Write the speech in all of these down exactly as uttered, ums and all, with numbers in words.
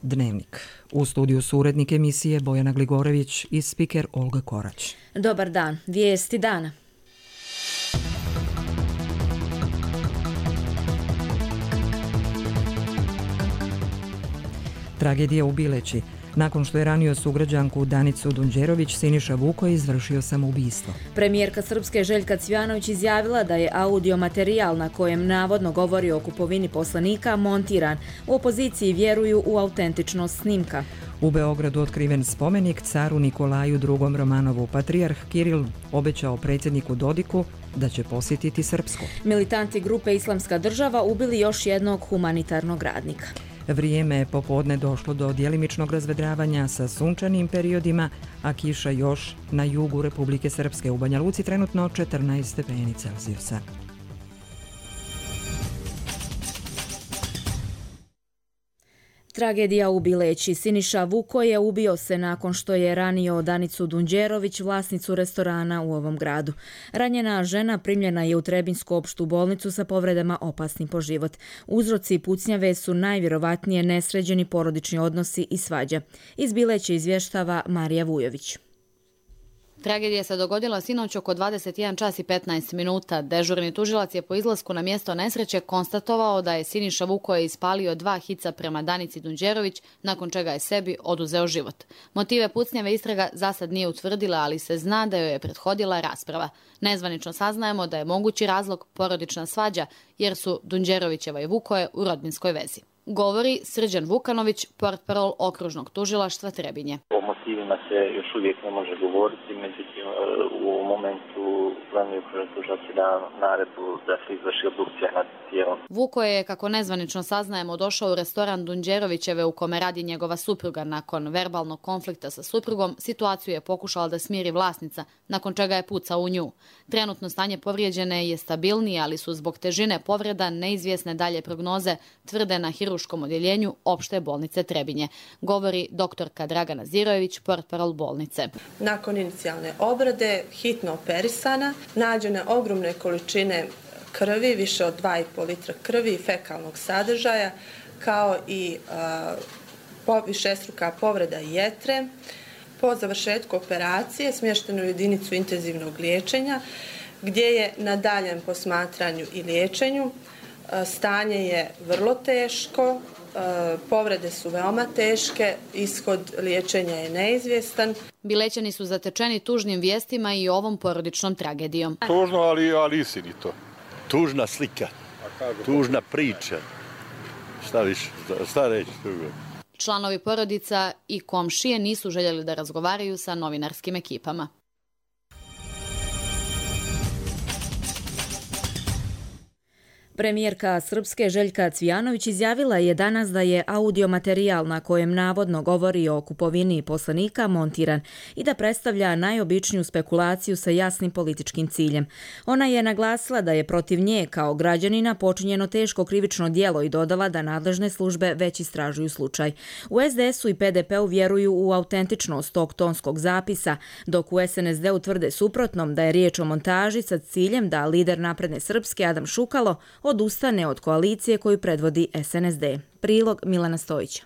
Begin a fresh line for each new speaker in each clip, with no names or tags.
Dnevnik. U studiju su urednik emisije Bojana Gligorević i spiker Olga Korać.
Dobar dan. Vijesti dana.
Tragedija u Bileći. Nakon što je ranio sugrađanku Danicu Dunđerović, Siniša Vuko je izvršio samoubistvo.
Premijerka Srpske Željka Cvijanović izjavila da je audio materijal na kojem navodno govori o kupovini poslanika montiran. U opoziciji vjeruju u autentičnost snimka.
U Beogradu otkriven spomenik caru Nikolaju drugom Romanovu. Patrijarh Kiril obećao predsjedniku Dodiku da će posjetiti Srpsku.
Militanti grupe Islamska država ubili još jednog humanitarnog radnika.
Vrijeme je popodne došlo do djelimičnog razvedravanja sa sunčanim periodima, a kiša još na jugu Republike Srpske. U Banja Luci trenutno četrnaest stepeni Celzijusa.
Tragedija u Bileći. Siniša Vuko je ubio se nakon što je ranio Danicu Dunđerović, vlasnicu restorana u ovom gradu. Ranjena žena primljena je u Trebinsku opštu bolnicu sa povredama opasnim po život. Uzroci pucnjave su najvjerovatnije nesređeni porodični odnosi i svađa. Iz Bileća izvještava Marija Vujović.
Tragedija se dogodila sinoć oko dvadeset jedan čas i petnaest minuta. Dežurni tužilac je po izlasku na mjesto nesreće konstatovao da je Siniša Vuko ispalio dva hica prema Danici Dunđerović, nakon čega je sebi oduzeo život. Motive pucnjave istraga zasad nije utvrdila, ali se zna da joj je prethodila rasprava. Nezvanično saznajemo da je mogući razlog porodična svađa, jer su Dunđerovićeva i Vukoje u rodbinskoj vezi. Govori Srđan Vukanović, portparol okružnog tužilaštva Trebinje.
O motivima se još uvijek ne može govoriti, međutim u momentu planuje okružnog tužilaštva da naredbu da se izvrši obdukcija nad tijelom.
Vuko je, kako nezvanično saznajemo, došao u restoran Dunđerovićeve u kome radi njegova supruga. Nakon verbalnog konflikta sa suprugom, situaciju je pokušala da smiri vlasnica, nakon čega je pucao u nju. Trenutno stanje povrijeđene je stabilnije, ali su zbog težine povreda neizvjesne dalje prognoze, tvrde na hiruškom odjeljenju opšte bolnice Trebinje. Govori doktorka Dragana Zirojević, portparol bolnice.
Nakon inicijalne obrade, hitno operisana, nađene ogromne količine krvi, više od dva i po litra krvi i fekalnog sadržaja, kao i uh, višestruka povreda jetre. Po završetku operacije smješteno u jedinicu intenzivnog liječenja, gdje je na daljem posmatranju i liječenju. Stanje je vrlo teško, povrede su veoma teške, ishod liječenja je neizvjestan.
Bilećani su zatečeni tužnim vijestima i ovom porodičnom tragedijom.
Tužno, ali, ali istinito.
Tužna slika, tužna priča. Šta više, šta reći tužno?
Članovi porodica i komšije nisu željeli da razgovaraju sa novinarskim ekipama.
Premijerka Srpske Željka Cvijanović izjavila je danas da je audio materijal na kojem navodno govori o kupovini poslanika montiran i da predstavlja najobičniju spekulaciju sa jasnim političkim ciljem. Ona je naglasila da je protiv nje kao građanina počinjeno teško krivično djelo i dodala da nadležne službe već istražuju slučaj. U es de esu i pe de peu vjeruju u autentičnost tog tonskog zapisa, dok u es en es de tvrde suprotnom da je riječ o montaži sa ciljem da lider Napredne Srpske Adam Šukalo odustane od koalicije koju predvodi es en es de. Prilog Milana Stojića.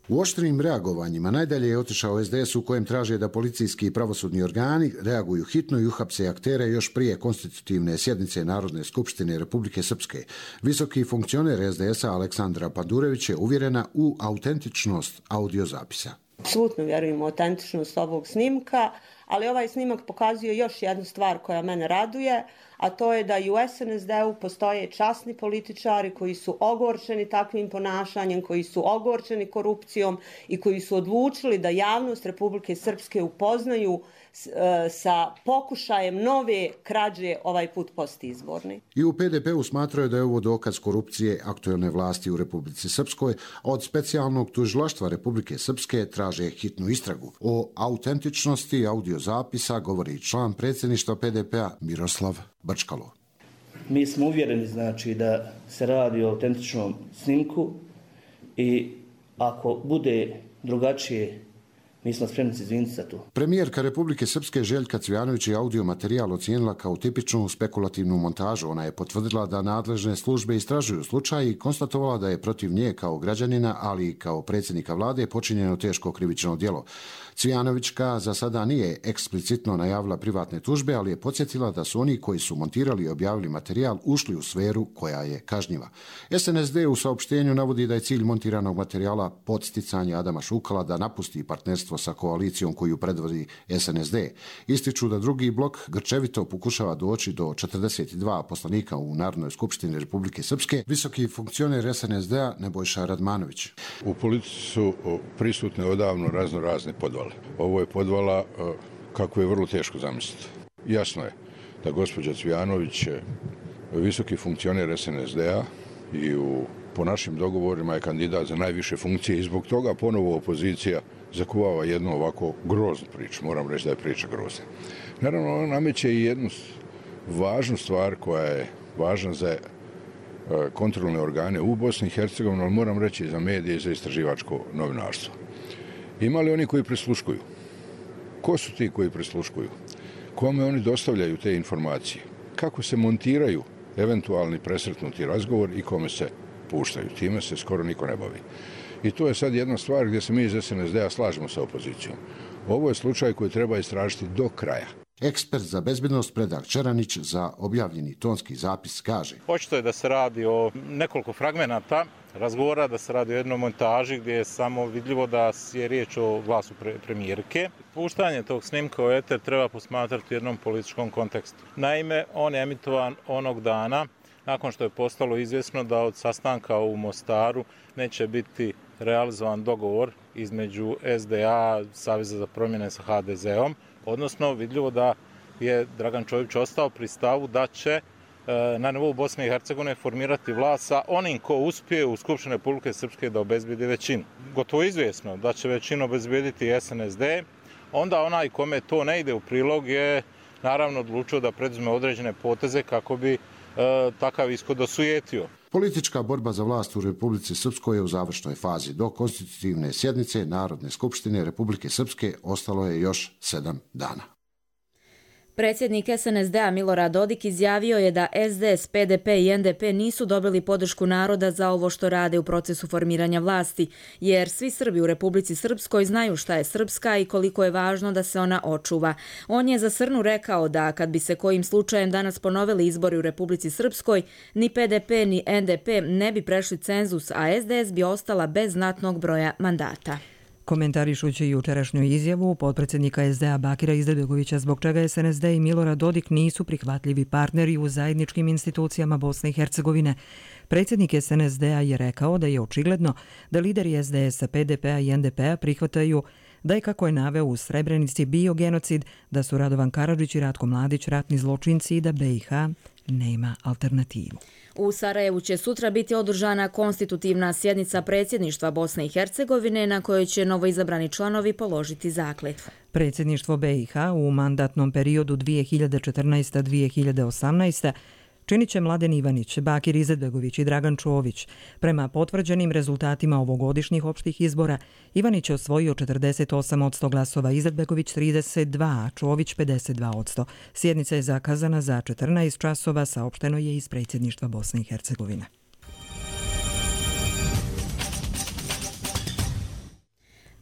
U oštrim reagovanjima najdalje je otišao es de es u kojem traže da policijski i pravosudni organi reaguju hitno i uhapse aktere još prije konstitutivne sjednice Narodne skupštine Republike Srpske. Visoki funkcioner es de esa Aleksandra Padurević je uvjerena u autentičnost audiozapisa.
Apsolutno vjerujem u autentičnost ovog snimka, ali ovaj snimak pokazuje još jednu stvar koja mene raduje, a to je da i u es en es de-u postoje časni političari koji su ogorčeni takvim ponašanjem, koji su ogorčeni korupcijom i koji su odlučili da javnost Republike Srpske upoznaju sa pokušajem nove krađe, ovaj put postizborni.
I u pe de peu smatraju da je ovo dokaz korupcije aktuelne vlasti u Republici Srpskoj. Od specijalnog tužilaštva Republike Srpske traže hitnu istragu. O autentičnosti audiozapisa govori član predsjedništva pe de pea Miroslav Brčkalo.
Mi smo uvjereni znači da se radi o autentičnom snimku i ako bude drugačije mi smo spremni se izviniti za to.
Premijerka Republike Srpske Željka Cvijanović je audio materijal ocijenila kao tipičnu spekulativnu montažu. Ona je potvrdila da nadležne službe istražuju slučaj i konstatovala da je protiv nje kao građanina, ali i kao predsjednika vlade počinjeno teško krivično djelo. Cvijanovićka za sada nije eksplicitno najavila privatne tužbe, ali je podsjetila da su oni koji su montirali i objavili materijal ušli u sferu koja je kažnjiva. S N S D u saopštenju navodi da je cilj montiranog materijala podsticanje Adama Šukala da napusti partnerstvo sa koalicijom koju predvodi S N S D. Ističu da drugi blok grčevito pokušava doći do četrdeset dva poslanika u Narodnoj skupštini Republike Srpske. Visoki funkcioner S N S D-a Nebojša Radmanović.
U politici su prisutne odavno razno razne podvale. Ovo je podvala kako je vrlo teško zamisliti. Jasno je da gospođa Cvijanović je visoki funkcioner S N S D-a i u, po našim dogovorima je kandidat za najviše funkcije i zbog toga ponovo opozicija zakuvava jednu ovako groznu priču. Moram reći da je priča grozna. Naravno, ona nameće i jednu važnu stvar koja je važna za kontrolne organe u Bosni i Hercegovini, ali moram reći i za medije i za istraživačko novinarstvo. Ima li oni koji prisluškuju? Ko su ti koji prisluškuju? Kome oni dostavljaju te informacije? Kako se montiraju eventualni presretnuti razgovor i kome se puštaju? Time se skoro niko ne bavi. I to je sad jedna stvar gdje se mi iz S N S D-a slažemo sa opozicijom. Ovo je slučaj koji treba istražiti do kraja.
Ekspert za bezbednost Predrag Čeranić za objavljeni tonski zapis kaže:
Očito je da se radi o nekoliko fragmenata razgovora, da se radi o jednoj montaži gdje je samo vidljivo da je riječ o glasu pre premijerke. Puštanje tog snimka u eter treba posmatrati u jednom političkom kontekstu. Naime, on je emitovan onog dana nakon što je postalo izvjesno da od sastanka u Mostaru neće biti realizovan dogovor između S D A, Saveza za promjene sa H D Z-om, odnosno vidljivo da je Dragan Čović ostao pri stavu da će na nivou Bosne i Hercegovine formirati vlast sa onim ko uspije u Skupštini Republike Srpske da obezbedi većinu. Gotovo izvjesno da će većinu obezbediti S N S D, onda onaj kome to ne ide u prilog je naravno odlučio da preduzme određene poteze kako bi e, takav ishod osujetio.
Politička borba za vlast u Republici Srpskoj je u završnoj fazi. Do konstitutivne sjednice Narodne skupštine Republike Srpske ostalo je još sedam dana.
Predsjednik S N S D-a Milorad Dodik izjavio je da S D S, P D P i N D P nisu dobili podršku naroda za ovo što rade u procesu formiranja vlasti, jer svi Srbi u Republici Srpskoj znaju šta je srpska i koliko je važno da se ona očuva. On je za Srnu rekao da kad bi se kojim slučajem danas ponovili izbori u Republici Srpskoj, ni P D P ni N D P ne bi prešli cenzus, a S D S bi ostala bez znatnog broja mandata.
Komentarišući jučerašnju izjavu potpredsjednika S D A Bakira Izetbegovića zbog čega S N S D i Milorad Dodik nisu prihvatljivi partneri u zajedničkim institucijama Bosne i Hercegovine, predsjednik S N S D-a je rekao da je očigledno da lideri S D S-a, P D P-a i N D P-a prihvataju da je, kako je naveo, u Srebrenici bio genocid, da su Radovan Karadžić i Ratko Mladić ratni zločinci i da B i H nema alternativu.
U Sarajevu će sutra biti održana konstitutivna sjednica predsjedništva Bosne i Hercegovine na kojoj će novoizabrani članovi položiti zakletvu.
Predsjedništvo B i H u mandatnom periodu dvije hiljade četrnaesta do dvije hiljade osamnaesta činit će Mladen Ivanić, Bakir Izetbegović i Dragan Čović. Prema potvrđenim rezultatima ovogodišnjih opštih izbora, Ivanić je osvojio četrdeset osam posto glasova, Izetbegović trideset dva, a Čović pedeset dva posto. Sjednica je zakazana za četrnaest časova, saopšteno je iz predsjedništva Bosne i Hercegovine.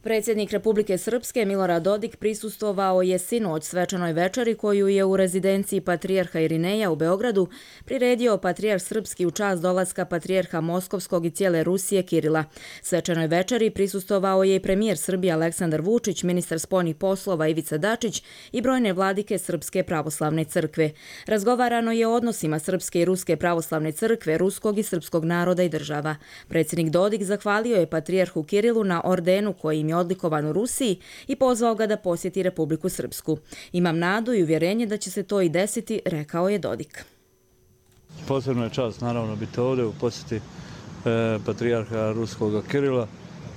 Predsjednik Republike Srpske Milorad Dodik prisustvovao je sinoć svečanoj večeri koju je u rezidenciji patrijarha Irineja u Beogradu priredio patrijarh srpski u čast dolaska patrijarha Moskovskog i cijele Rusije Kirila. Svečanoj večeri prisustvovao je i premijer Srbije Aleksandar Vučić, ministar spoljnih poslova Ivica Dačić i brojne vladike Srpske pravoslavne crkve. Razgovarano je o odnosima Srpske i Ruske pravoslavne crkve, ruskog i srpskog naroda i država. Predsjednik Dodik zahvalio je patrijarhu Kirilu na ordenu koji im je odlikovan u Rusiji i pozvao ga da posjeti Republiku Srpsku. Imam nadu i uvjerenje da će se to i desiti, rekao je Dodik.
Posebno je čast naravno biti ovdje u posjeti e, patrijarha ruskog Kirila.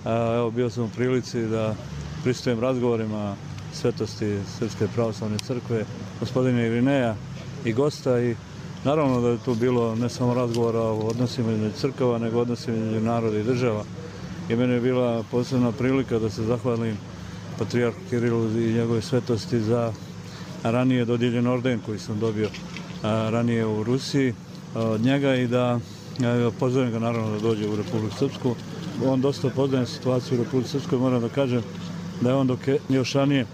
A, evo, bio sam u prilici da pristujem razgovorima svetosti Srpske pravoslavne crkve, gospodina Irineja i gosta, i naravno da je tu bilo ne samo razgovora o odnosima između crkava, nego odnosima između naroda i država. I meni je bila posebna prilika da se zahvalim patrijarhu Kirilu i njegove svetosti za ranije dodijeljen orden koji sam dobio ranije u Rusiji od njega i da pozovem ga naravno da dođe u Republiku Srpsku. On dosta poznaje situaciju u Republiku Srpskoj, moram da kažem da je on dok je još ranije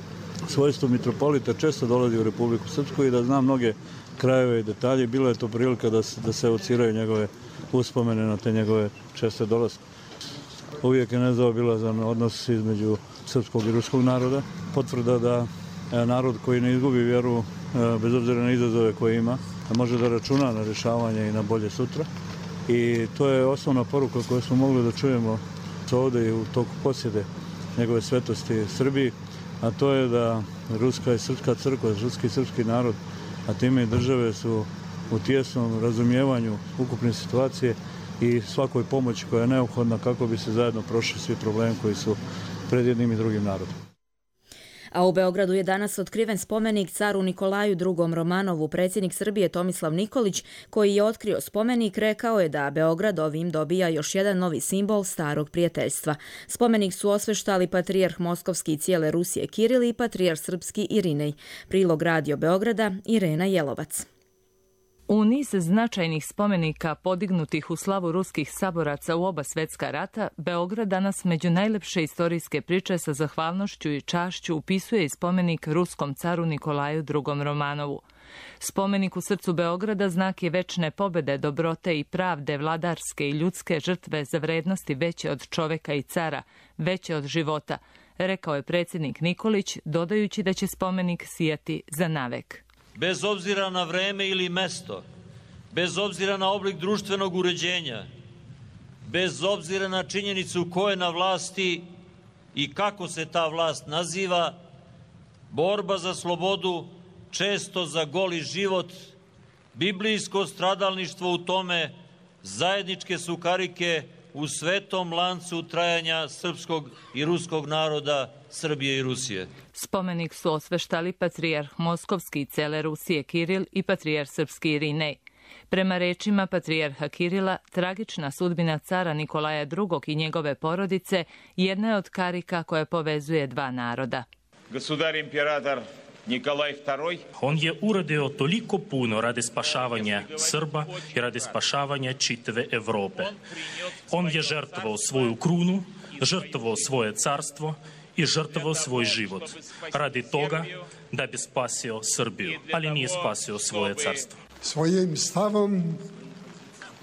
svojstvo mitropolita često dolazi u Republiku Srpsku i da zna mnoge krajeve i detalje. Bilo je to prilika da se, da se evociraju njegove uspomene na te njegove česte dolaske. Uvijek je nezaobilazan odnos između srpskog i ruskog naroda. Potvrda da narod koji ne izgubi vjeru, bez obzira na izazove koje ima, može da računa na rješavanje i na bolje sutra. I to je osnovna poruka koju smo mogli da čujemo ovdje i u toku posjede njegove svetosti Srbiji, a to je da ruska i srpska crkva, ruski i srpski narod, a time i države su u tijesnom razumijevanju ukupne situacije i svakoj pomoći koja je neophodna kako bi se zajedno prošli svi problemi koji su pred jednim i drugim narodom.
A u Beogradu je danas otkriven spomenik caru Nikolaju drugom Romanovu. Predsjednik Srbije Tomislav Nikolić, koji je otkrio spomenik, rekao je da Beograd ovim dobija još jedan novi simbol starog prijateljstva. Spomenik su osveštali patrijarh Moskovski i cijele Rusije Kiril i patrijarh Srpski Irinej. Prilog Radio Beograda, Irena Jelovac.
U niz značajnih spomenika podignutih u slavu ruskih saboraca u oba svjetska rata, Beograd danas među najlepše istorijske priče sa zahvalnošću i čašću upisuje i spomenik ruskom caru Nikolaju drugom Romanovu. Spomenik u srcu Beograda znak je večne pobjede, dobrote i pravde, vladarske i ljudske žrtve za vrednosti veće od čoveka i cara, veće od života, rekao je predsjednik Nikolić, dodajući da će spomenik sijati za navek.
Bez obzira na vreme ili mesto, bez obzira na oblik društvenog uređenja, bez obzira na činjenicu ko je na vlasti i kako se ta vlast naziva, borba za slobodu, često za goli život, biblijsko stradalništvo u tome, zajedničke su karike u svetom lancu trajanja srpskog i ruskog naroda, Srbije i Rusije.
Spomenik su osveštali patrijarh Moskovski i cele Rusije Kiril i patrijarh Srpski Irinej. Prema rečima patrijarha Kirila, tragična sudbina cara Nikolaja drugog i njegove porodice jedna je od karika koja povezuje dva naroda.
Gosudar imperator Nikolaj drugi.
On je uradio toliko puno radi spašavanja Srba i radi spašavanja čitave Evrope. On je žrtvovao svoju krunu, žrtvovao svoje carstvo i žrtvovao svoj život radi toga da bi spasio Srbiju, ali nije spasio svoje carstvo.
Svojim stavom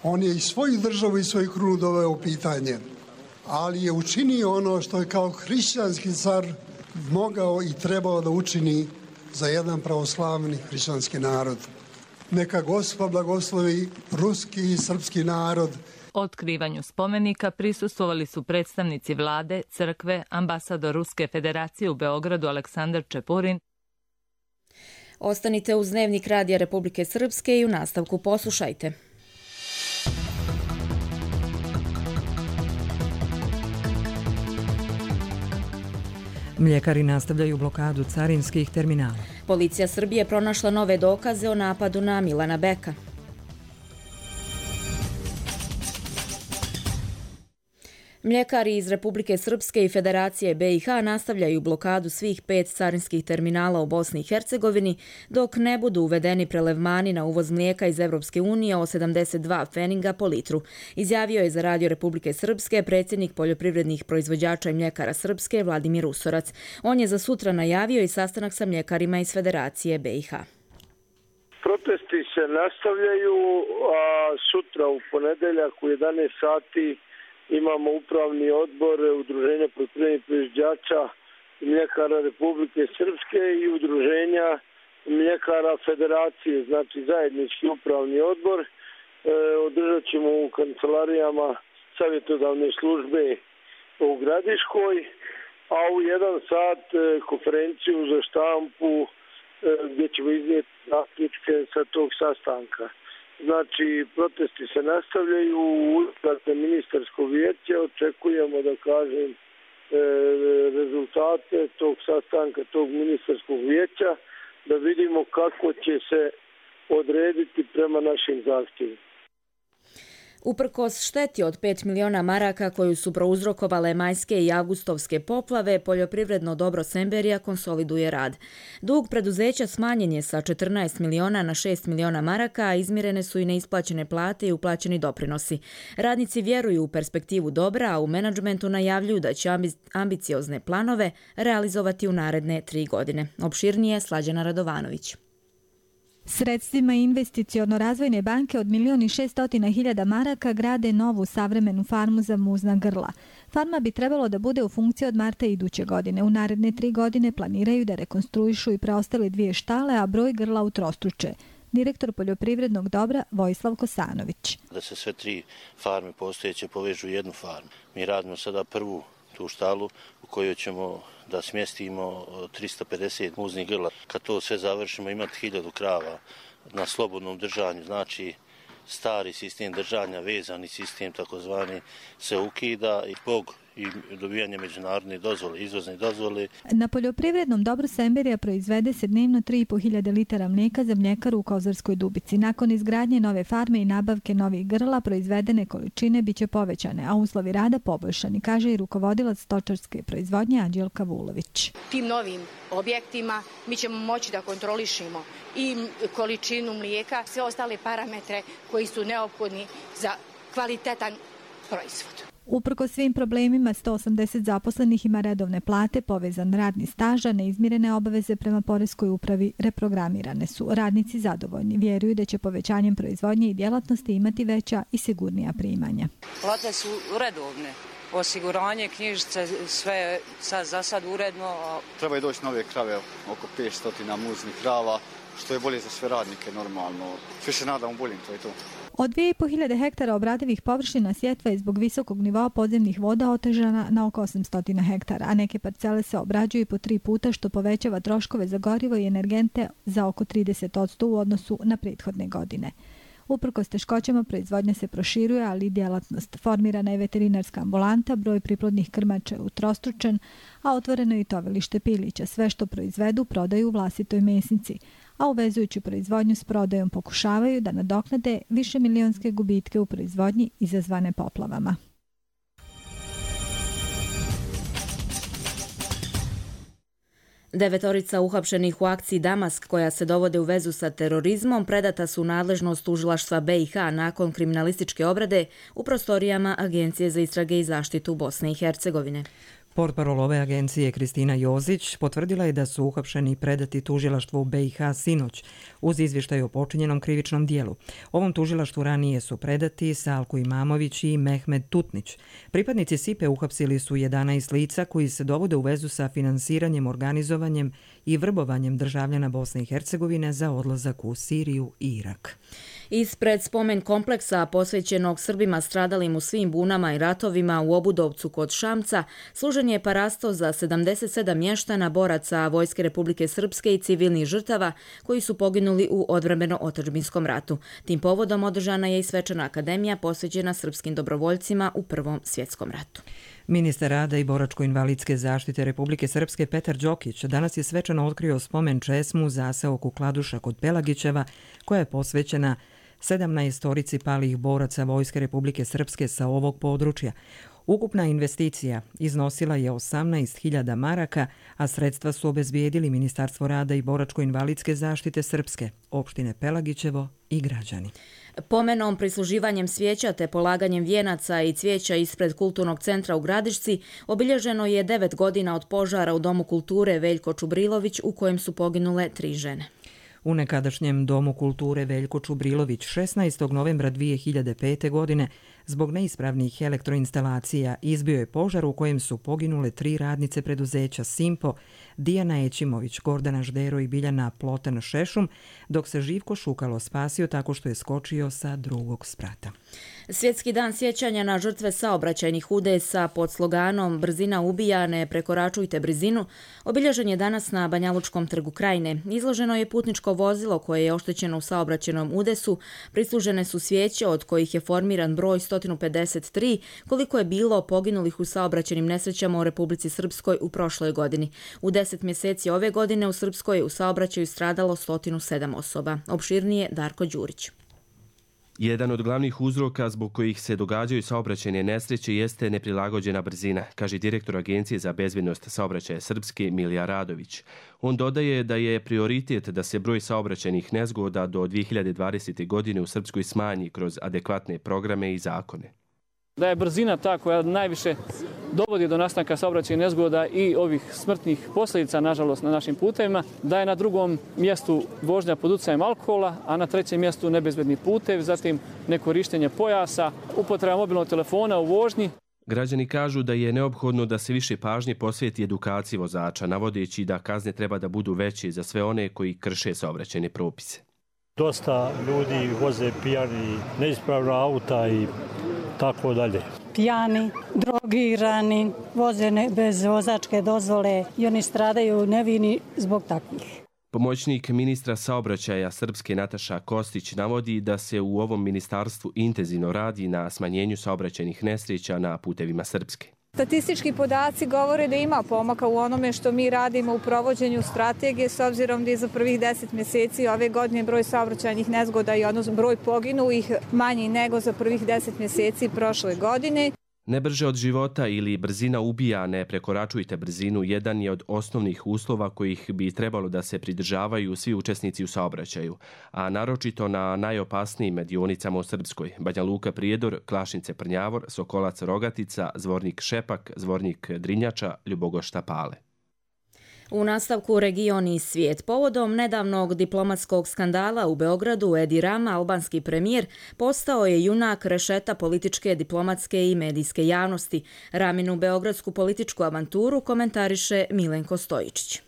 on je i svoju državu i svoju krunu doveo u pitanje, ali je učinio ono što je kao hrišćanski car mogao i trebao da učini za jedan pravoslavni hrišćanski narod. Neka Gospod blagoslovi ruski i srpski narod.
Otkrivanju spomenika prisustvovali su predstavnici vlade, crkve, ambasador Ruske federacije u Beogradu Aleksandar Čepurin.
Ostanite uz Dnevnik Radija Republike Srpske i u nastavku poslušajte.
Mljekari nastavljaju blokadu carinskih terminala.
Policija Srbije pronašla nove dokaze o napadu na Milana Beka. Mljekari iz Republike Srpske i Federacije B i H nastavljaju blokadu svih pet carinskih terminala u Bosni i Hercegovini dok ne budu uvedeni prelevmani na uvoz mlijeka iz Evropske unije o sedamdeset dva pfeninga po litru. Izjavio je za Radio Republike Srpske predsjednik poljoprivrednih proizvođača i mljekara Srpske Vladimir Usorac. On je za sutra najavio i sastanak sa mljekarima iz Federacije B i H.
Protesti se nastavljaju, a sutra u ponedeljak u jedanaest sati imamo upravni odbor Udruženja poljoprivrednih proizvođača i mljekara Republike Srpske i Udruženja mljekara Federacije, znači zajednički upravni odbor. E, održat ćemo u kancelarijama savjetodavne službe u Gradiškoj, a u jedan sat e, konferenciju za štampu e, gdje ćemo iznijeti zaključke sa tog sastanka. Znači, protesti se nastavljaju u unutrašnjem ministarskog vijeća. Očekujemo, da kažem, e, rezultate tog sastanka, tog ministarskog vijeća, da vidimo kako će se odrediti prema našim zahtjevima.
Uprkos šteti od pet miliona maraka koju su prouzrokovale majske i avgustovske poplave, poljoprivredno dobro Semberija konsoliduje rad. Dug preduzeća smanjen je sa četrnaest miliona na šest miliona maraka, a izmirene su i neisplaćene plate i uplaćeni doprinosi. Radnici vjeruju u perspektivu dobra, a u menadžmentu najavljuju da će ambiciozne planove realizovati u naredne tri godine. Opširnije Slađana Radovanović.
Sredstvima investiciono-razvojne banke od milion i šestotina hiljada maraka grade novu savremenu farmu za muzna grla. Farma bi trebalo da bude u funkciji od marta iduće godine. U naredne tri godine planiraju da rekonstruišu i preostale dvije štale, a broj grla utrostruče. Direktor poljoprivrednog dobra Vojislav Kosanović.
Da se sve tri farme postojeće povežu u jednu farmu. Mi radimo sada prvu tu štalu u kojoj ćemo da smjestimo tristo pedeset muznih grla. Kad to sve završimo, imati hiljadu krava na slobodnom držanju, znači stari sistem držanja, vezani sistem takozvani se ukida i zbog i dobijanje međunarodne dozvole, izvozne dozvole.
Na poljoprivrednom dobru Semberija proizvede se dnevno tri i po hiljade litara mlijeka za mljekaru u Kozarskoj Dubici. Nakon izgradnje nove farme i nabavke novih grla, proizvedene količine biće povećane, a uslovi rada poboljšani, kaže i rukovodilac stočarske proizvodnje Anđelka Vulović.
Tim novim objektima mi ćemo moći da kontrolišemo i količinu mlijeka, sve ostale parametre koji su neophodni za kvalitetan proizvod.
Uprkos svim problemima, sto osamdeset zaposlenih ima redovne plate, povezan radni staž, a neizmirene obaveze prema poreskoj upravi reprogramirane su. Radnici zadovoljni, vjeruju da će povećanjem proizvodnje i djelatnosti imati veća i sigurnija primanja.
Plate su redovne, osiguranje, knjižice, sve sad, za sad uredno.
Treba je doći nove krave, oko petsto muznih krava, što je bolje za sve radnike normalno. Svi se nadamo boljim, to je to.
Od dvije i po hiljade hektara obradivih površina sjetva je zbog visokog nivoa podzemnih voda otežana na oko osamsto hektara, a neke parcele se obrađuju po tri puta, što povećava troškove za gorivo i energente za oko trideset posto u odnosu na prethodne godine. Uprkos teškoćama proizvodnja se proširuje, ali i djelatnost. Formirana je veterinarska ambulanta, broj priplodnih krmača je utrostručen, a otvoreno je i tovilište pilića. Sve što proizvedu prodaju u vlastitoj mesnici, a uvezujući proizvodnju s prodajom pokušavaju da nadoknade više milionske gubitke u proizvodnji izazvane poplavama.
Devetorica uhapšenih u akciji Damask, koja se dovode u vezu sa terorizmom, predata su u nadležnost tužilaštva B i H nakon kriminalističke obrade u prostorijama Agencije za istrage i zaštitu Bosne i Hercegovine.
Portparol ove agencije Kristina Jozić potvrdila je da su uhapšeni i predati tužilaštvu u B i H sinoć uz izvještaj o počinjenom krivičnom dijelu. Ovom tužilaštvu ranije su predati Salko Imamović i Mehmed Tutnić. Pripadnici S I P E uhapsili su jedanaest lica koji se dovode u vezu sa finansiranjem, organizovanjem i vrbovanjem državljana Bosne i Hercegovine za odlazak u Siriju i Irak.
Ispred spomen kompleksa posvećenog Srbima stradalim u svim bunama i ratovima u Obudovcu kod Šamca služen je parasto za sedamdeset sedam mještana, boraca Vojske Republike Srpske i civilnih žrtava koji su poginuli u odbrambeno-otadžbinskom ratu. Tim povodom održana je i svečana akademija posvećena srpskim dobrovoljcima u Prvom svjetskom ratu.
Ministar rada i boračko-invalidske zaštite Republike Srpske Petar Đokić danas je svečano otkrio spomen česmu za seoku Kladuša kod Pelagićeva, koja je posvećena sedamnaestorici palih boraca Vojske Republike Srpske sa ovog područja. Ukupna investicija iznosila je osamnaest hiljada maraka, a sredstva su obezbijedili Ministarstvo rada i boračko-invalidske zaštite Srpske, opštine Pelagićevo i građani.
Pomenom, prisluživanjem svijeća te polaganjem vijenaca i cvijeća ispred Kulturnog centra u Gradišci obilježeno je devet godina od požara u Domu kulture Veljko Čubrilović u kojem su poginule tri žene.
U nekadašnjem Domu kulture Veljko Čubrilović šesnaestog novembra dvije hiljade pete. godine zbog neispravnih elektroinstalacija izbio je požar u kojem su poginule tri radnice preduzeća Simpo, Dijana Ećimović, Gordana Ždero i Biljana Plotan Šešum, dok se Živko Šukalo spasio tako što je skočio sa drugog sprata.
Svjetski dan sjećanja na žrtve saobraćajnih udesa pod sloganom Brzina ubija, ne prekoračujte brzinu obilježen je danas na Banjalučkom trgu Krajine. Izloženo je putničko vozilo koje je oštećeno u saobraćajnom udesu, prislužene su svijeće od kojih je formiran broj sto pedeset tri, koliko je bilo poginulih u saobraćajnim nesrećama u Republici Srpskoj u prošloj godini. U deset mjeseci ove godine u Srpskoj u saobraćaju stradalo sto sedam osoba. Opširnije Darko Đurić.
Jedan od glavnih uzroka zbog kojih se događaju saobraćajne nesreće jeste neprilagođena brzina, kaže direktor Agencije za bezbednost saobraćaja Srpske Milija Radović. On dodaje da je prioritet da se broj saobraćajnih nezgoda do dvije hiljade dvadesete. godine u Srpskoj smanji kroz adekvatne programe i zakone.
Da je brzina ta koja najviše dovodi do nastanka saobraćajnih nezgoda i ovih smrtnih posljedica, nažalost, na našim putevima, da je na drugom mjestu vožnja pod utjecajem alkohola, a na trećem mjestu nebezbedni putev, zatim nekorištenje pojasa, upotreba mobilnog telefona u vožnji.
Građani kažu da je neophodno da se više pažnje posveti edukaciji vozača, navodeći da kazne treba da budu veće za sve one koji krše saobraćajne propise.
Dosta ljudi voze pijani, neispravna auta i tako dalje.
Pijani, drogirani, voze bez vozačke dozvole i oni stradaju nevini zbog takvih.
Pomoćnik ministra saobraćaja Srpske Nataša Kostić navodi da se u ovom ministarstvu intenzivno radi na smanjenju saobraćajnih nesreća na putevima Srpske.
Statistički podaci govore da ima pomaka u onome što mi radimo u provođenju strategije, s obzirom da je za prvih deset mjeseci ove godine broj saobraćajnih nezgoda i odnosno broj poginulih manji nego za prvih deset mjeseci prošle godine.
Ne brže od života ili brzina ubija, ne prekoračujte brzinu, jedan je od osnovnih uslova kojih bi trebalo da se pridržavaju svi učesnici u saobraćaju, a naročito na najopasnijim dionicama u Srpskoj: Banja Luka Prijedor, Klašnice Prnjavor, Sokolac Rogatica, Zvornik Šepak, Zvornik Drinjača, Ljubogošta Pale.
U nastavku region i svijet. Povodom nedavnog diplomatskog skandala u Beogradu, Edi Rama, albanski premijer, postao je junak rešeta političke, diplomatske i medijske javnosti. Raminu beogradsku političku avanturu komentariše Milenko Stojičić.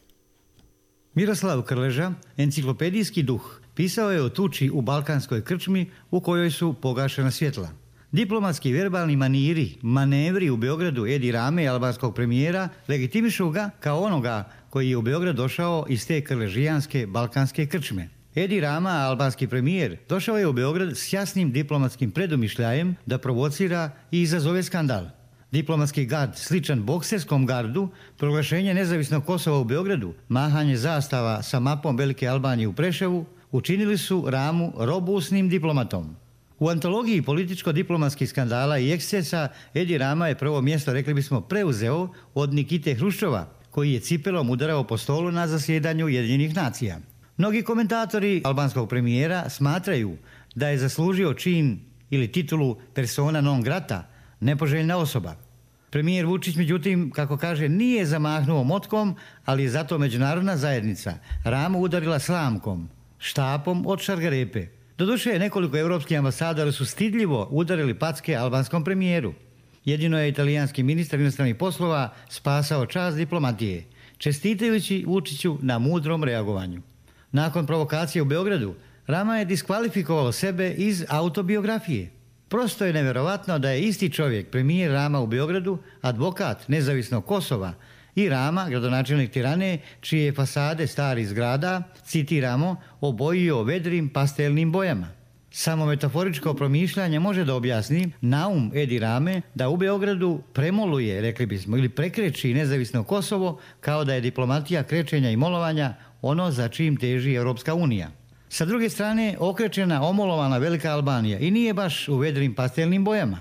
Miroslav Krleža, enciklopedijski duh, pisao je o tuči u balkanskoj krčmi u kojoj su pogašena svjetla. Diplomatski verbalni maniri, manevri u Beogradu Edi Rame, albanskog premijera, legitimišu ga kao onoga koji je u Beograd došao iz te krležijanske balkanske krčme. Edi Rama, albanski premijer, došao je u Beograd s jasnim diplomatskim predumišljajem da provocira i izazove skandal. Diplomatski gard sličan bokserskom gardu, proglašenje nezavisnog Kosova u Beogradu, mahanje zastava sa mapom Velike Albanije u Preševu, učinili su Ramu robusnim diplomatom. U antologiji političko-diplomatskih skandala i ekscesa Edi Rama je prvo mjesto, rekli bismo, preuzeo od Nikite Hruščova, koji je cipelom udarao po stolu na zasjedanju Ujedinjenih nacija. Mnogi komentatori albanskog premijera smatraju da je zaslužio čin ili titulu persona non grata, nepoželjna osoba. Premijer Vučić, međutim, kako kaže, nije zamahnuo motkom, ali je zato međunarodna zajednica Ramu udarila slamkom, štapom od šargarepe. Doduše, nekoliko evropskih ambasadora su stidljivo udarili packe albanskom premijeru. Jedino je italijanski ministar inostranih poslova spasao čast diplomatije, čestitajući Vučiću na mudrom reagovanju. Nakon provokacije u Beogradu, Rama je diskvalifikovao sebe iz autobiografije. Prosto je nevjerovatno da je isti čovjek, premijer Rama u Beogradu, advokat nezavisnog Kosova, i Rama, gradonačelnik Tirane, čije fasade starih zgrada, citiramo, obojio vedrim pastelnim bojama. Samo metaforičko promišljanje može da objasni naum Edi Rame da u Beogradu premoluje, rekli bismo, ili prekreći nezavisno Kosovo, kao da je diplomatija krečenja i molovanja ono za čim teži Europska unija. Sa druge strane, okrečena, omolovana Velika Albanija i nije baš u vedrim pastelnim bojama.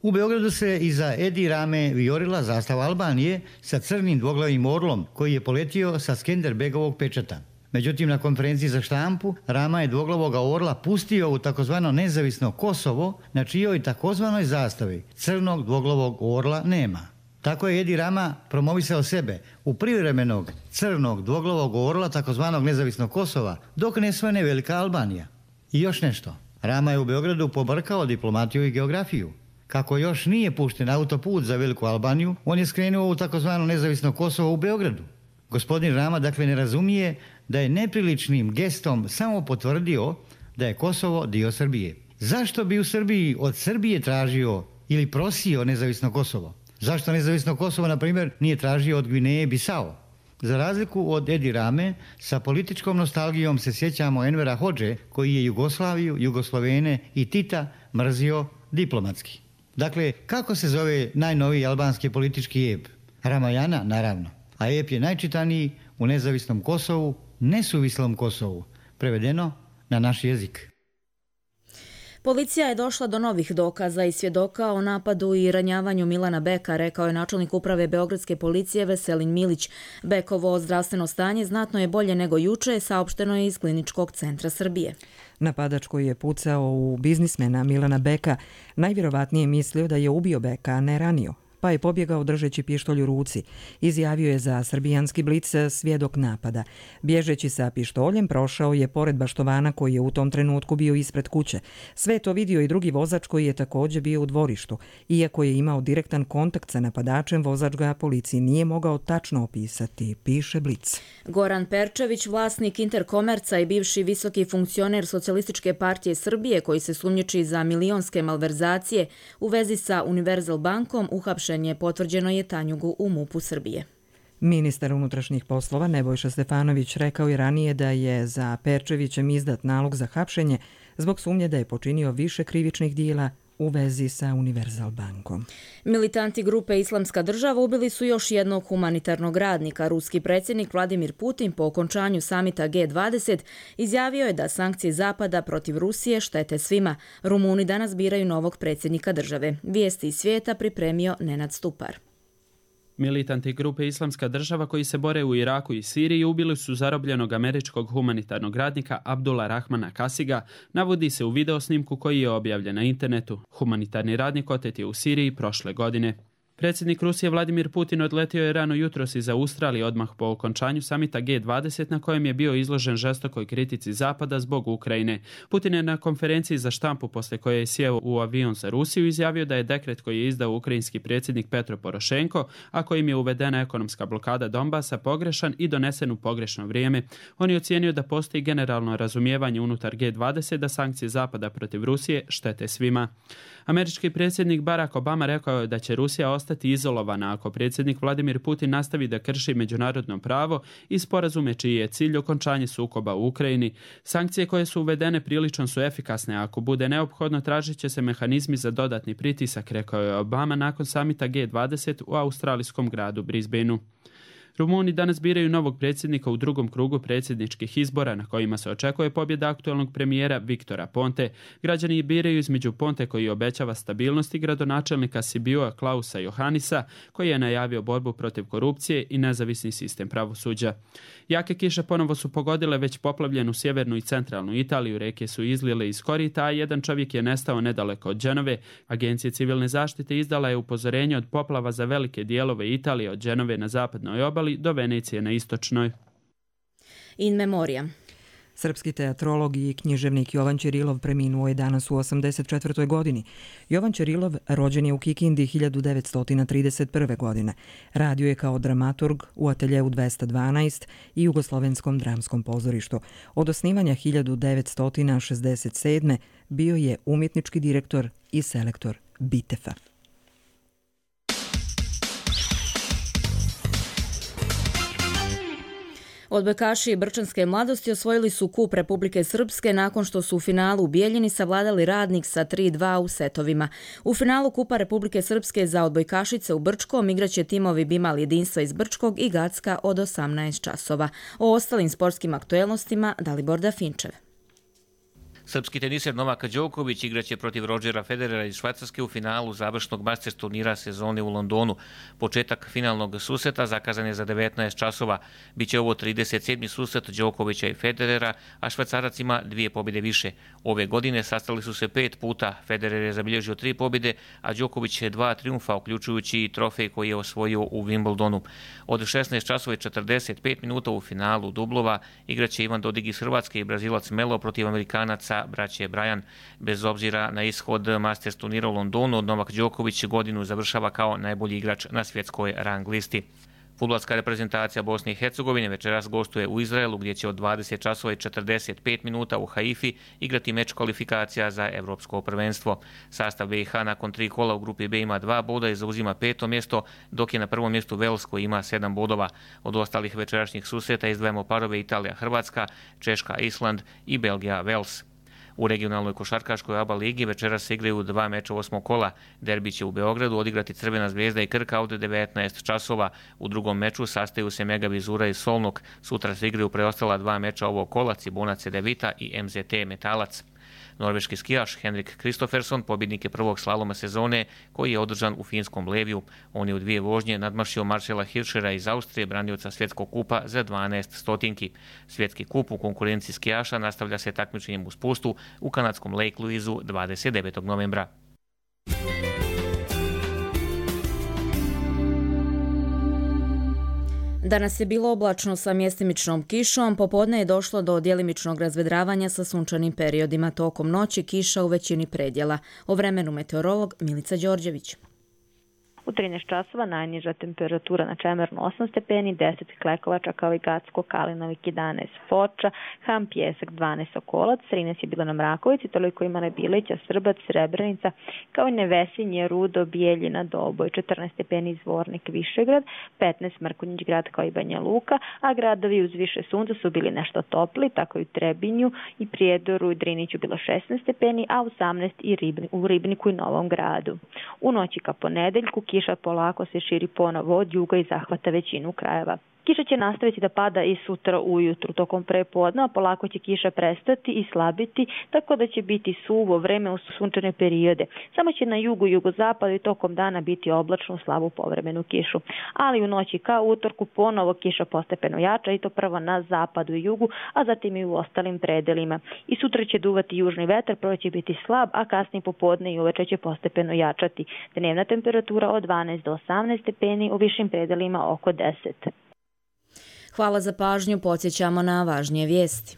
U Beogradu se iza Edi Rame vijorila zastava Albanije sa crnim dvoglavim orlom koji je poletio sa Skenderbegovog pečata. Međutim, na konferenciji za štampu Rama je dvoglavog orla pustio u takozvano nezavisno Kosovo, na čijoj takozvanoj zastavi crnog dvoglavog orla nema. Tako je Edi Rama promovisao sebe u privremenog crnog dvoglavog orla takozvanog nezavisnog Kosova, dok ne svane Velika Albanija. I još nešto. Rama je u Beogradu pobrkao diplomatiju i geografiju. Kako još nije pušten autoput za Veliku Albaniju, on je skrenuo u takozvano nezavisno Kosovo u Beogradu. Gospodin Rama dakle ne razumije da je nepriličnim gestom samo potvrdio da je Kosovo dio Srbije. Zašto bi u Srbiji od Srbije tražio ili prosio nezavisno Kosovo? Zašto nezavisno Kosovo, na primjer, nije tražio od Gvineje Bisao? Za razliku od Edi Rame, sa političkom nostalgijom se sjećamo Envera Hodže, koji je Jugoslaviju, Jugoslovene i Tita mrzio diplomatski. Dakle, kako se zove najnoviji albanski politički ep? Ramajana, naravno. A ep je najčitaniji u nezavisnom Kosovu, nesuvislom Kosovu, prevedeno na naš jezik.
Policija je došla do novih dokaza i svjedoka o napadu i ranjavanju Milana Beka, rekao je načelnik uprave Beogradske policije Veselin Milić. Bekovo zdravstveno stanje znatno je bolje nego juče, saopšteno je iz Kliničkog centra Srbije.
Napadač koji je pucao u biznismena Milana Beka najvjerovatnije mislio da je ubio Beka, a ne ranio, pa je pobjegao držeći pištolj u ruci. Izjavio je za srbijanski blic svjedok napada. Bježeći sa pištoljem prošao je pored baštovana koji je u tom trenutku bio ispred kuće. Sve je to vidio i drugi vozač koji je također bio u dvorištu. Iako je imao direktan kontakt sa napadačem, vozač ga policiji nije mogao tačno opisati, piše Blic.
Goran Perčević, vlasnik Interkomerca i bivši visoki funkcioner Socijalističke partije Srbije koji se sumnjiči za milionske malverzacije u vezi sa Univerzal bankom, uhapšen je, potvrđeno je Tanjugu u MUP-u Srbije.
Ministar unutrašnjih poslova Nebojša Stefanović rekao je ranije da je za Perčevićem izdat nalog za hapšenje zbog sumnje da je počinio više krivičnih dijela u vezi sa Univerzal bankom.
Militanti grupe Islamska država ubili su još jednog humanitarnog radnika. Ruski predsjednik Vladimir Putin po okončanju samita G dvadeset izjavio je da sankcije Zapada protiv Rusije štete svima. Rumuni danas biraju novog predsjednika države. Vijesti iz svijeta pripremio Nenad Stupar.
Militanti grupe Islamska država koji se bore u Iraku i Siriji ubili su zarobljenog američkog humanitarnog radnika Abdula Rahmana Kasiga, navodi se u videosnimku koji je objavljen na internetu. Humanitarni radnik otet je u Siriji prošle godine. Predsjednik Rusije Vladimir Putin odletio je rano jutros iz Australije odmah po okončanju samita G dvadeset na kojem je bio izložen žestokoj kritici Zapada zbog Ukrajine. Putin je na konferenciji za štampu poslije koje je sjeo u avion za Rusiju izjavio da je dekret koji je izdao ukrajinski predsjednik Petro Porošenko, a kojim je uvedena ekonomska blokada Donbasa, pogrešan i donesen u pogrešno vrijeme. On je ocijenio da postoji generalno razumijevanje unutar G dvadeset da sankcije Zapada protiv Rusije štete svima. Američki predsjednik Barack Obama rekao je da će Rusija ostati izolovana ako predsjednik Vladimir Putin nastavi da krši međunarodno pravo i sporazume čiji je cilj okončanje sukoba u Ukrajini. Sankcije koje su uvedene prilično su efikasne, a ako bude neophodno tražit će se mehanizmi za dodatni pritisak, rekao je Obama nakon samita G dvadeset u australijskom gradu Brisbaneu. Rumuni danas biraju novog predsjednika u drugom krugu predsjedničkih izbora na kojima se očekuje pobjeda aktualnog premijera Viktora Ponte. Građani biraju između Ponte koji obećava stabilnost i gradonačelnika Sibioa Klausa Johannisa koji je najavio borbu protiv korupcije i nezavisni sistem pravosuđa. Jake kiše ponovo su pogodile već poplavljenu sjevernu i centralnu Italiju, reke su izlile iz korita, a jedan čovjek je nestao nedaleko od Dženove. Agencija civilne zaštite izdala je upozorenje od poplava za velike dijelove Italije od Dženove na zapadnoj obali do Venecije na istočnoj.
In memoriam.
Srpski teatrolog i književnik Jovan Ćirilov preminuo je danas u osamdeset četvrtoj godini. Jovan Ćirilov rođen je u Kikindi hiljadu devetsto trideset prve. godine. Radio je kao dramaturg u Ateljeu dvesta dvanaest i Jugoslovenskom dramskom pozorištu. Od osnivanja hiljadu devetsto šezdeset sedme. bio je umjetnički direktor i selektor Bitefa.
Odbojkaši Brčanske mladosti osvojili su kup Republike Srpske nakon što su u finalu u Bijeljini savladali Radnik sa tri dva u setovima. U finalu kupa Republike Srpske za odbojkašice u Brčkom igraće timovi Bimal Jedinstva iz Brčkog i Gacka od osamnaest časova. O ostalim sportskim aktuelnostima Dalibor Dafinčev.
Srpski teniser Novak Đoković igraće protiv Rodgera Federera iz Švajcarske u finalu završnog Masters turnira sezone u Londonu. Početak finalnog susreta zakazan je za devetnaest časova. Biće ovo trideset sedmi susret Đokovića i Federera, a Švajcarac ima dvije pobjede više. Ove godine sastali su se pet puta. Federer je zabilježio tri pobjede, a Đoković je dva triumfa, uključujući i trofej koji je osvojio u Wimbledonu. Od šesnaest časova i četrdeset pet minuta u finalu dublova igraće Ivan Dodig iz Hrvatske i Brazilac Melo protiv Amerikanaca braće Brajan. Bez obzira na ishod Masters turnira u Londonu, Novak Đoković godinu završava kao najbolji igrač na svjetskoj rang listi. Fudbalska reprezentacija Bosne i Hercegovine večeras gostuje u Izraelu gdje će od dvadeset časova i četrdeset pet minuta u Haifi igrati meč kvalifikacija za evropsko prvenstvo. Sastav B i H nakon tri kola u grupi B ima dva boda i zauzima peto mjesto, dok je na prvom mjestu Vels koji ima sedam bodova. Od ostalih večerašnjih susreta izdvajamo parove Italija-Hrvatska, Češka-Island i Belgija-Vels. U regionalnoj košarkaškoj A B A ligi večeras se igraju dva meča osmog kola. Derbi će u Beogradu odigrati Crvena zvezda i Krka od devetnaest časova. U drugom meču sastaju se Mega Vizura i Solnok. Sutra se igraju preostala dva meča ovog kola, Cibona Cedevita i M Z T Metalac. Norveški skijaš Henrik Kristofferson pobjednik je prvog slaloma sezone koji je održan u finskom Leviju. On je u dvije vožnje nadmašio Marcela Hirschera iz Austrije, branioca svjetskog kupa za dvanaest stotinki. Svjetski kup u konkurenciji skijaša nastavlja se takmičenjem u spustu u kanadskom Lake Louiseu dvadeset devetog novembra.
Danas je bilo oblačno sa mjestimičnom kišom, popodne je došlo do djelimičnog razvedravanja sa sunčanim periodima, tokom noći kiša u većini predjela. O vremenu meteorolog Milica Đorđević.
U trinaest časova najniža temperatura na Čemernu osam stepeni, deset Klekovača, Kaligacko, Kalinovik jedanaest Foča, Ham, Pjesak dvanaest Sokolac, trinaest je bilo na Mrakovici, toliko ima na Bilića, Srbac, Srebrenica, kao i Nevesinje, Rudo, Bijeljina, Doboj, četrnaest stepeni Zvornik, Višegrad, petnaest Mrkonjić grad kao i Banja Luka, a gradovi uz više sunca su bili nešto topli, tako i u Trebinju i Prijedoru i Driniću bilo šesnaest stepeni, a osamnaest i Ribni, u Ribniku i Novom gradu. U noći ka ponedeljku kiša polako se širi ponovo od juga i zahvata većinu krajeva. Kiša će nastaviti da pada i sutra ujutru. Tokom prepodneva polako će kiša prestati i slabiti, tako da će biti suvo vreme u sunčane periode. Samo će na jugu i jugozapadu i tokom dana biti oblačno u slabu povremenu kišu. Ali u noći ka utorku ponovo kiša postepeno jača i to prvo na zapadu i jugu, a zatim i u ostalim predelima. I sutra će duvati južni vetar, prvo će biti slab, a kasnije popodne i uveče će postepeno jačati. Dnevna temperatura od dvanaest do osamnaest stepeni, u višim predelima oko deset.
Hvala za pažnju, podsjećamo na važnije vijesti.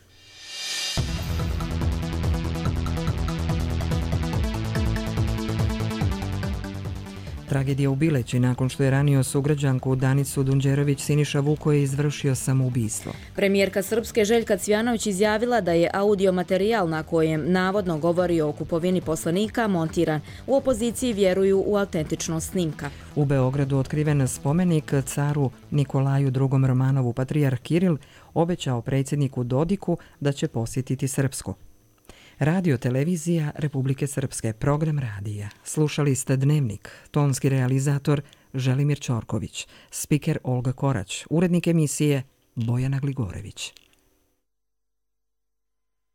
Tragedija u Bileći nakon što je ranio sugrađanku Danicu Dunđerović, Siniša Vuko je izvršio samoubistvo.
Premijerka Srpske Željka Cvjanović izjavila da je audio materijal na kojem navodno govori o kupovini poslanika montiran. U opoziciji vjeruju u autentičnost snimka.
U Beogradu otkriven spomenik caru Nikolaju drugom Romanovu. Patrijarh Kiril obećao predsjedniku Dodiku da će posjetiti Srpsku. Radio televizija Republike Srpske, program radija. Slušali ste Dnevnik, tonski realizator Želimir Ćorković, spiker Olga Korać, urednik emisije Bojana Gligorević.